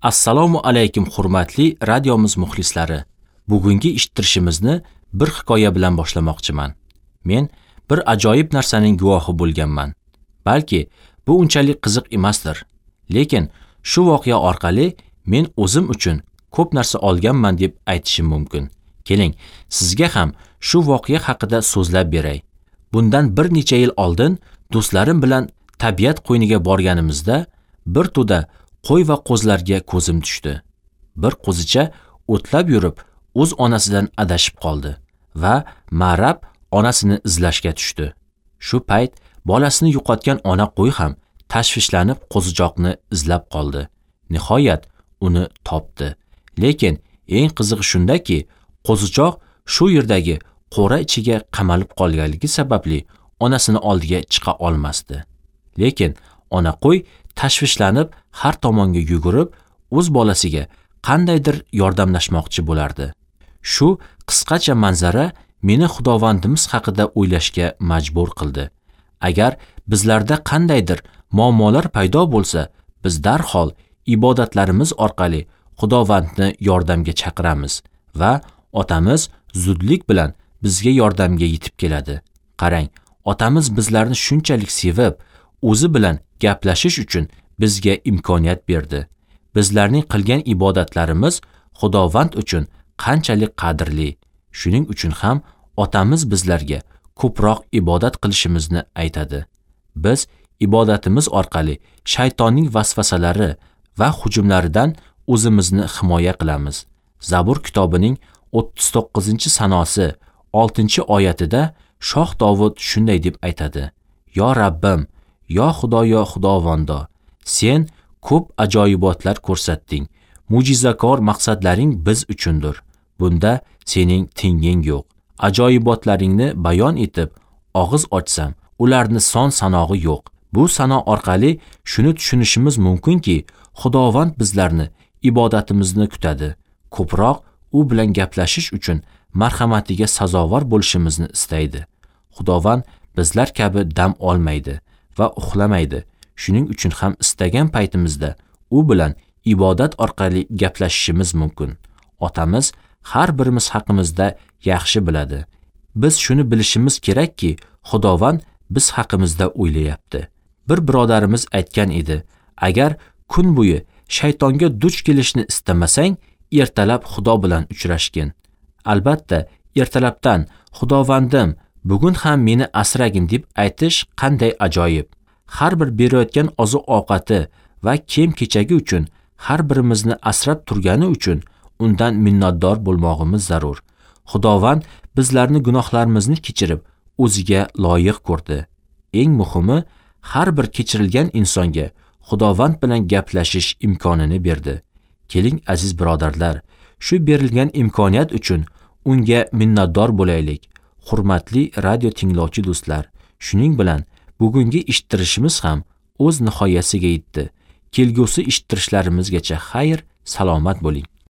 Assalomu alaykum hurmatli radiomiz muxlislari. Bugungi eshittirishimizni bir hikoya bilan boshlamoqchiman. Men bir ajoyib narsaning guvohi bo'lganman. Balki bu unchalik qiziq emasdir. Lekin shu voqea orqali men o'zim uchun ko'p narsa olganman deb aytishim mumkin. Keling, sizga ham shu voqea haqida so'zlab beray. Bundan bir necha yil oldin do'stlarim bilan tabiat qo'yniga borganimizda bir to'da qo'y va qo'zlarga ko'zim tushdi. Bir qo'zicha o'tlab yurib, o'z onasidan adashib qoldi va marab onasini izlashga tushdi. Shu payt bolasini yo'qotgan ona qo'y ham tashvishlanib qo'zichoqni izlab qoldi. Nihoyat uni topdi. Lekin eng qizig'i shundaki, qo'zichoq shu yerdagi qo'ra ichiga qamalib qolganligi sababli onasini oldiga chiqa olmasdi. Lekin ona qo'y tashvishlanib har tomonga yugurib, o'z bolasiga qandaydir yordamlashmoqchi bo'lardi. Shu qisqacha manzara meni Xudovandimiz haqida o'ylashga majbur qildi. Agar bizlarda qandaydir muammolar paydo bo'lsa, biz darhol ibodatlarimiz orqali Xudovandni yordamga chaqiramiz va otamiz zudlik bilan bizga yordamga yetib keladi. Qarang, otamiz bizlarni shunchalik sevib, o'zi bilan gaplashish uchun bizga imkoniyat berdi. Bizlarning qilgan ibodatlarimiz Xudovand uchun qanchalik qadrli. Shuning uchun ham otamiz bizlarga ko'proq ibodat qilishimizni aytadi. Biz ibodatimiz orqali shaytonning vasvasalari va hujumlaridan o'zimizni himoya qilamiz. Zabur kitobining 39-sanosi 6-oyatida Shoh Dovud shunday deb aytadi: "Yo Rabbim, yo Xudoyo Xudovondo, sen ko'p ajoyibotlar ko'rsatding. Mo'jizakor maqsadlaring biz uchundir. Bunda sening tenging yo'q. Ajoyibotlaringni bayon etib, og'iz ochsam, ularni son sanog'i yo'q." Bu sano orqali shuni tushunishimiz mumkinki, Xudovand bizlarni ibodatimizni kutadi. Ko'proq u bilan gaplashish uchun marhamatiga sazovor bo'lishimizni istaydi. Xudovand bizlar kabi dam olmaydi va uxlamaydi. Shuning uchun ham istagan paytimizda u bilan ibodat orqali gaplashishimiz mumkin. Otamiz har birimiz haqimizda yaxshi biladi. Biz shuni bilishimiz kerakki, Xudovand biz haqimizda o'ylayapti. Bir birodarimiz aytgan edi: agar kun bo'yi shaytonga duch kelishni istamasang, ertalab Xudo bilan uchrashgin. Albatta, ertalabdan Xudovandim, bugun ham meni asragin deb aytish qanday ajoyib. Har bir berayotgan oziq-ovqati va kiyim-kechagi uchun har birimizni asrab turgani uchun undan minnatdor bo'lmog'imiz zarur. Xudovand bizlarni gunohlarimizni kechirib, o'ziga loyiq ko'rdi. Eng muhimi, har bir kechirilgan insonga Xudovand bilan gaplashish imkonini berdi. Keling aziz birodarlar, shu berilgan imkoniyat uchun unga minnatdor bo'laylik. Hurmatli radio tinglovchi do'stlar, shuning bilan bugungi eshittirishimiz ham o'z nihoyasiga yetdi. Kelgusi eshittirishlarimizgacha xayr, salomat bo'ling.